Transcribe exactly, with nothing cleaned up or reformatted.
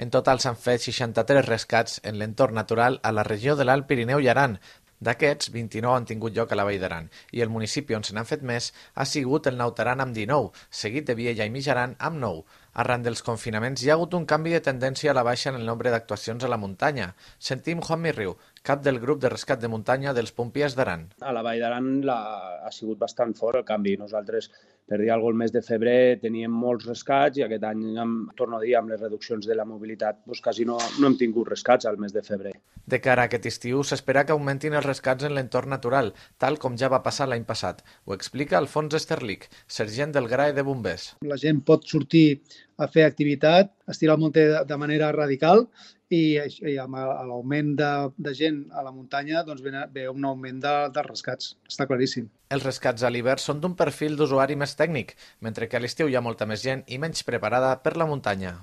En total s'han fet seixanta-tres rescats en l'entorn natural a la regió de l'Alt Pirineu i Aran. D'aquests, vint-i-nou han tingut lloc a la Vall d'Aran i el municipi on se n'han fet més ha sigut el Naut Aran amb dinou, seguit de Viella i Mijaran amb nou. Arran dels confinaments hi ha hagut un canvi de tendència a la baixa en el nombre d'actuacions a la muntanya. Sentim Juanmi Riu, cap del grup de rescat de muntanya dels Pompiers d'Aran. A la Vall d'Aran la... ha sigut bastant fort el canvi. Nosaltres, per dir alguna cosa, el mes de febrer teníem molts rescats i aquest any, amb, torno a dir, amb les reduccions de la mobilitat, doncs quasi no, no hem tingut rescats al mes de febrer. De cara a aquest estiu, s'espera que augmentin els rescats en l'entorn natural, tal com ja va passar l'any passat. Ho explica Alfons Esterlich, sergent del G R A E de Bombers. La gent pot sortir a fer activitat, estirar el munter de manera radical i, i amb l'augment de, de gent a la muntanya doncs ve, ve un augment de, dels rescats, està claríssim. Els rescats a l'hivern són d'un perfil d'usuari més tècnic, mentre que a l'estiu hi ha molta més gent i menys preparada per la muntanya.